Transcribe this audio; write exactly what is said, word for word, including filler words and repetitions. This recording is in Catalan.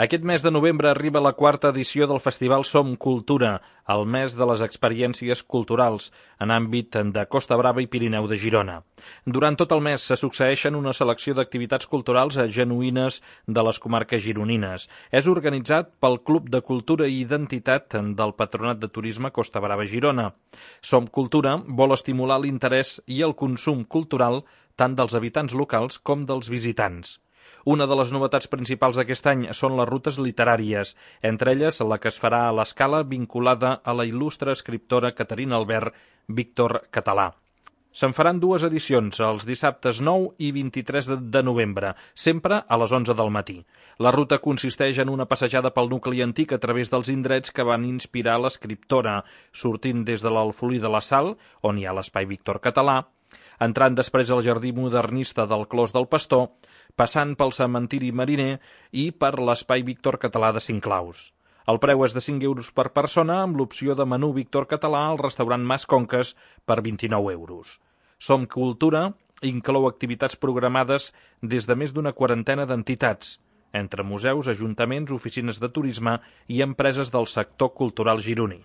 Aquest mes de novembre arriba la quarta edició del Festival Som Cultura, el mes de les experiències culturals, en àmbit de Costa Brava i Pirineu de Girona. Durant tot el mes se succeeixen una selecció d'activitats culturals genuïnes de les comarques gironines. És organitzat pel Club de Cultura i Identitat del Patronat de Turisme Costa Brava Girona. Som Cultura vol estimular l'interès i el consum cultural tant dels habitants locals com dels visitants. Una de les novetats principals d'aquest any són les rutes literàries, entre elles la que es farà a l'Escala vinculada a la il·lustre escriptora Caterina Albert Víctor Català. Se'n faran dues edicions, els dissabtes nou i vint-i-tres de novembre, sempre a les onze del matí. La ruta consisteix en una passejada pel nucli antic a través dels indrets que van inspirar l'escriptora, sortint des de l'Alfolí de la Sal, on hi ha l'Espai Víctor Català, entrant després al jardí modernista del Clos del Pastor, passant pel cementiri mariner i per l'Espai Víctor Català de Cinclaus. El preu és de cinc euros per persona amb l'opció de menú Víctor Català al restaurant Mas Conques per vint-i-nou euros. Som Cultura inclou activitats programades des de més d'una quarantena d'entitats, entre museus, ajuntaments, oficines de turisme i empreses del sector cultural gironí.